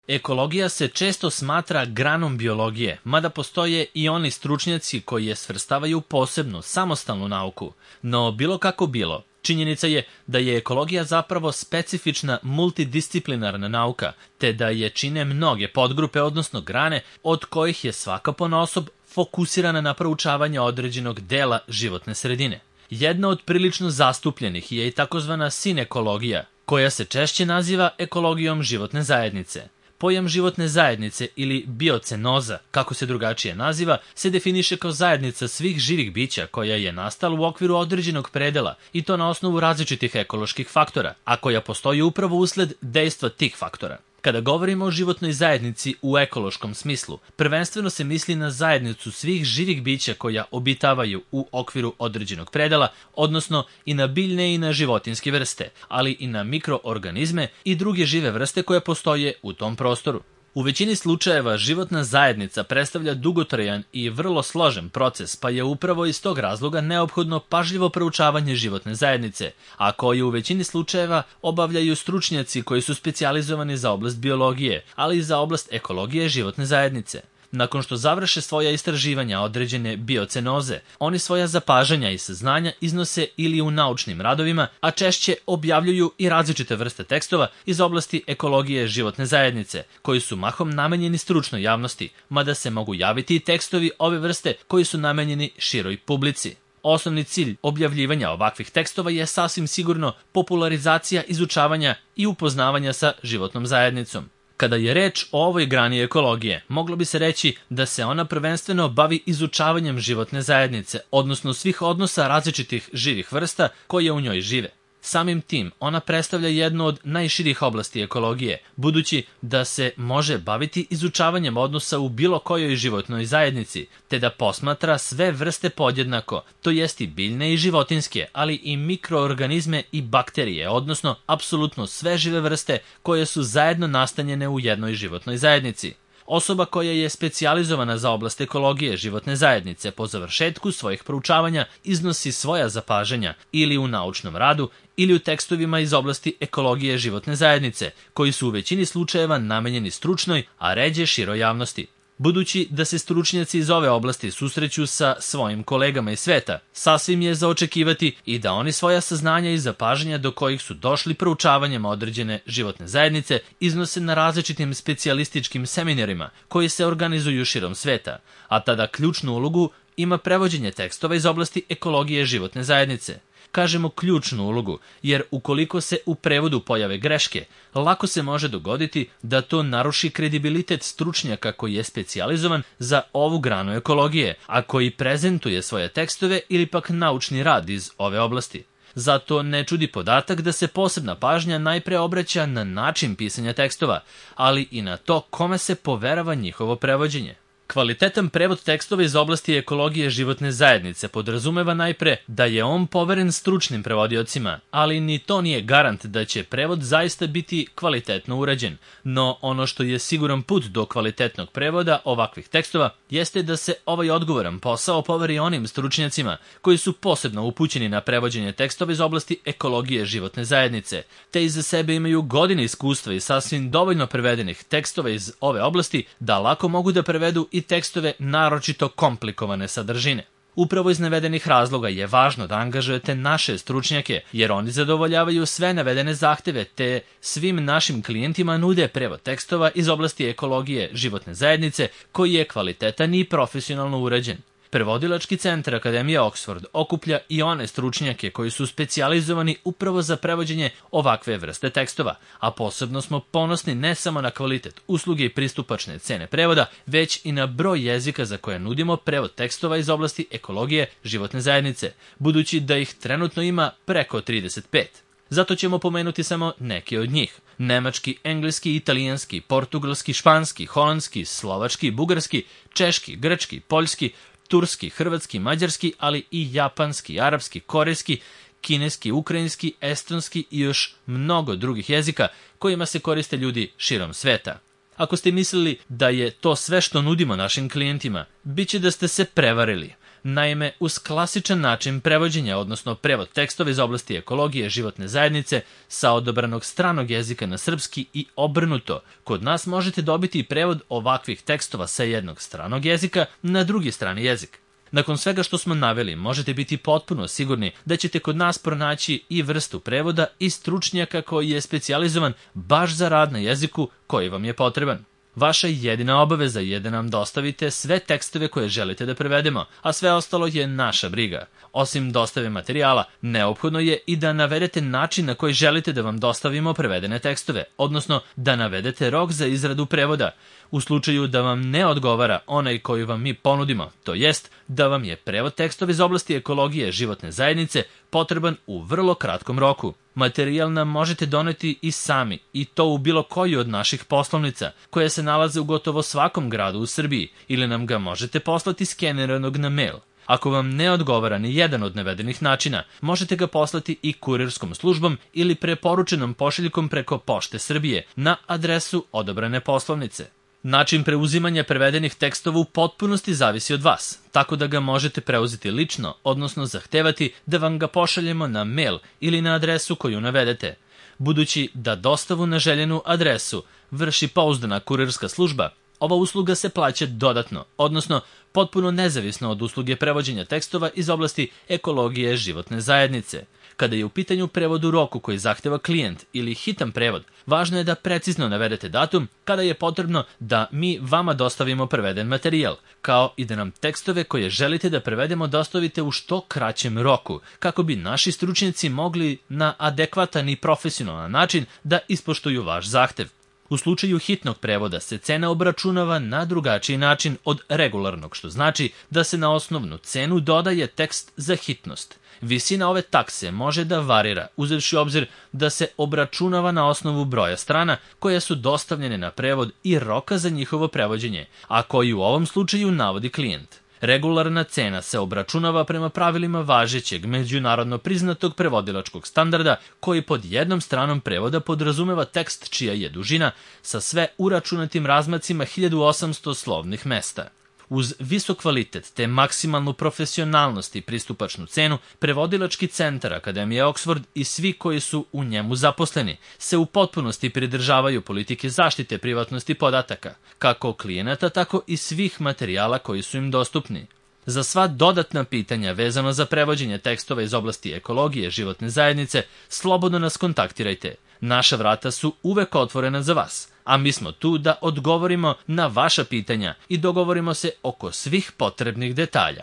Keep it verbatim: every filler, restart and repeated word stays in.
Ekologija se često smatra granom biologije, mada postoje i oni stručnjaci koji je svrstavaju u posebnu, samostalnu nauku. No bilo kako bilo, činjenica je da je ekologija zapravo specifična multidisciplinarna nauka, te da je čine mnoge podgrupe, odnosno grane, od kojih je svaka ponaosob fokusirana na proučavanje određenog dela životne sredine. Jedna od prilično zastupljenih je i takozvana sinekologija, koja se češće naziva ekologijom životne zajednice. Pojam životne zajednice ili biocenoza, kako se drugačije naziva, se definiše kao zajednica svih živih bića koja je nastala u okviru određenog predela i to na osnovu različitih ekoloških faktora, a koja postoji upravo usled dejstva tih faktora. Kada govorimo o životnoj zajednici u ekološkom smislu, prvenstveno se misli na zajednicu svih živih bića koja obitavaju u okviru određenog predela, odnosno i na biljne i na životinjske vrste, ali i na mikroorganizme i druge žive vrste koje postoje u tom prostoru. U većini slučajeva životna zajednica predstavlja dugotrajan i vrlo složen proces, pa je upravo iz tog razloga neophodno pažljivo proučavanje životne zajednice, a koje u većini slučajeva obavljaju stručnjaci koji su specijalizovani za oblast biologije, ali i za oblast ekologije životne zajednice. Nakon što završe svoja istraživanja određene biocenoze, oni svoja zapažanja i saznanja iznose ili u naučnim radovima, a češće objavljuju i različite vrste tekstova iz oblasti ekologije životne zajednice, koji su mahom namenjeni stručnoj javnosti, mada se mogu javiti i tekstovi ove vrste koji su namenjeni široj publici. Osnovni cilj objavljivanja ovakvih tekstova je sasvim sigurno popularizacija izučavanja i upoznavanja sa životnom zajednicom. Kada je reč o ovoj grani ekologije, moglo bi se reći da se ona prvenstveno bavi izučavanjem životne zajednice, odnosno svih odnosa različitih živih vrsta koje u njoj žive. Samim tim, ona predstavlja jednu od najširih oblasti ekologije, budući da se može baviti izučavanjem odnosa u bilo kojoj životnoj zajednici, te da posmatra sve vrste podjednako, to jest i biljne i životinjske, ali i mikroorganizme i bakterije, odnosno apsolutno sve žive vrste koje su zajedno nastanjene u jednoj životnoj zajednici. Osoba koja je specijalizovana za oblast ekologije životne zajednice po završetku svojih proučavanja iznosi svoja zapažanja ili u naučnom radu ili u tekstovima iz oblasti ekologije životne zajednice, koji su u većini slučajeva namenjeni stručnoj, a ređe široj javnosti. Budući da se stručnjaci iz ove oblasti susreću sa svojim kolegama iz sveta, sasvim je za očekivati i da oni svoja saznanja i zapažanja do kojih su došli proučavanjem određene životne zajednice iznose na različitim specijalističkim seminarima koji se organizuju širom sveta, a tada ključnu ulogu ima prevođenje tekstova iz oblasti ekologije životne zajednice. Kažemo ključnu ulogu, jer ukoliko se u prevodu pojave greške, lako se može dogoditi da to naruši kredibilitet stručnjaka koji je specijalizovan za ovu granu ekologije, a koji prezentuje svoje tekstove ili pak naučni rad iz ove oblasti. Zato ne čudi podatak da se posebna pažnja najpre obraća na način pisanja tekstova, ali i na to kome se poverava njihovo prevođenje. Kvalitetan prevod tekstova iz oblasti ekologije životne zajednice podrazumeva najpre da je on poveren stručnim prevodiocima, ali ni to nije garant da će prevod zaista biti kvalitetno urađen. No ono što je siguran put do kvalitetnog prevoda ovakvih tekstova jeste da se ovaj odgovoran posao poveri onim stručnjacima koji su posebno upućeni na prevođenje tekstova iz oblasti ekologije životne zajednice, te iza sebe imaju godine iskustva i sasvim dovoljno prevedenih tekstova iz ove oblasti da lako mogu da prevedu i tekstove naročito komplikovane sadržine. Upravo iz navedenih razloga je važno da angažujete naše stručnjake, jer oni zadovoljavaju sve navedene zahteve, te svim našim klijentima nude prevod tekstova iz oblasti ekologije životne zajednice, koji je kvalitetan i profesionalno urađen. Prevodilački centar Akademije Oxford okuplja i one stručnjake koji su specijalizovani upravo za prevođenje ovakve vrste tekstova, a posebno smo ponosni ne samo na kvalitet usluge i pristupačne cene prevoda, već i na broj jezika za koje nudimo prevod tekstova iz oblasti ekologije životne zajednice, budući da ih trenutno ima preko trideset pet. Zato ćemo pomenuti samo neke od njih. Nemački, engleski, italijanski, portugalski, španski, holandski, slovački, bugarski, češki, grčki, poljski, turski, hrvatski, mađarski, ali i japanski, arapski, korejski, kineski, ukrajinski, estonski i još mnogo drugih jezika kojima se koriste ljudi širom sveta. Ako ste mislili da je to sve što nudimo našim klijentima, bit će da ste se prevarili. Naime, uz klasičan način prevođenja, odnosno prevod tekstova iz oblasti ekologije životne zajednice sa odabranog stranog jezika na srpski i obrnuto, kod nas možete dobiti i prevod ovakvih tekstova sa jednog stranog jezika na drugi strani jezik. Nakon svega što smo naveli, možete biti potpuno sigurni da ćete kod nas pronaći i vrstu prevoda i stručnjaka koji je specijalizovan baš za rad na jeziku koji vam je potreban. Vaša jedina obaveza je da nam dostavite sve tekstove koje želite da prevedemo, a sve ostalo je naša briga. Osim dostave materijala, neophodno je i da navedete način na koji želite da vam dostavimo prevedene tekstove, odnosno da navedete rok za izradu prevoda. U slučaju da vam ne odgovara onaj koji vam mi ponudimo, to jest da vam je prevod tekstova iz oblasti ekologije životne zajednice potreban u vrlo kratkom roku. Materijal nam možete doneti i sami, i to u bilo koju od naših poslovnica, koje se nalaze u gotovo svakom gradu u Srbiji, ili nam ga možete poslati skeniranog na mail. Ako vam ne odgovara ni jedan od navedenih načina, možete ga poslati i kurirskom službom ili preporučenom pošiljkom preko Pošte Srbije na adresu odabrane poslovnice. Način preuzimanja prevedenih tekstova u potpunosti zavisi od vas, tako da ga možete preuzeti lično, odnosno zahtevati da vam ga pošaljemo na mail ili na adresu koju navedete. Budući da dostavu na željenu adresu vrši pouzdana kurirska služba, ova usluga se plaća dodatno, odnosno potpuno nezavisno od usluge prevođenja tekstova iz oblasti ekologije životne zajednice. Kada je u pitanju prevod u roku koji zahteva klijent ili hitan prevod, važno je da precizno navedete datum kada je potrebno da mi vama dostavimo preveden materijal, kao i da nam tekstove koje želite da prevedemo dostavite u što kraćem roku, kako bi naši stručnjaci mogli na adekvatan i profesionalan način da ispoštuju vaš zahtev. U slučaju hitnog prevoda se cena obračunava na drugačiji način od regularnog, što znači da se na osnovnu cenu dodaje tekst za hitnost. Visina ove takse može da varira, uzevši u obzir da se obračunava na osnovu broja strana koje su dostavljene na prevod i roka za njihovo prevođenje, a koji u ovom slučaju navodi klijent. Regularna cena se obračunava prema pravilima važećeg međunarodno priznatog prevodilačkog standarda koji pod jednom stranom prevoda podrazumeva tekst čija je dužina sa sve uračunatim razmacima hiljadu osamsto slovnih mesta. Uz visok kvalitet te maksimalnu profesionalnost i pristupačnu cenu, prevodilački centar Akademije Oxford i svi koji su u njemu zaposleni se u potpunosti pridržavaju politike zaštite privatnosti podataka, kako klijenata, tako i svih materijala koji su im dostupni. Za sva dodatna pitanja vezano za prevođenje tekstova iz oblasti ekologije životne zajednice, slobodno nas kontaktirajte. Naša vrata su uvek otvorena za vas, a mi smo tu da odgovorimo na vaša pitanja i dogovorimo se oko svih potrebnih detalja.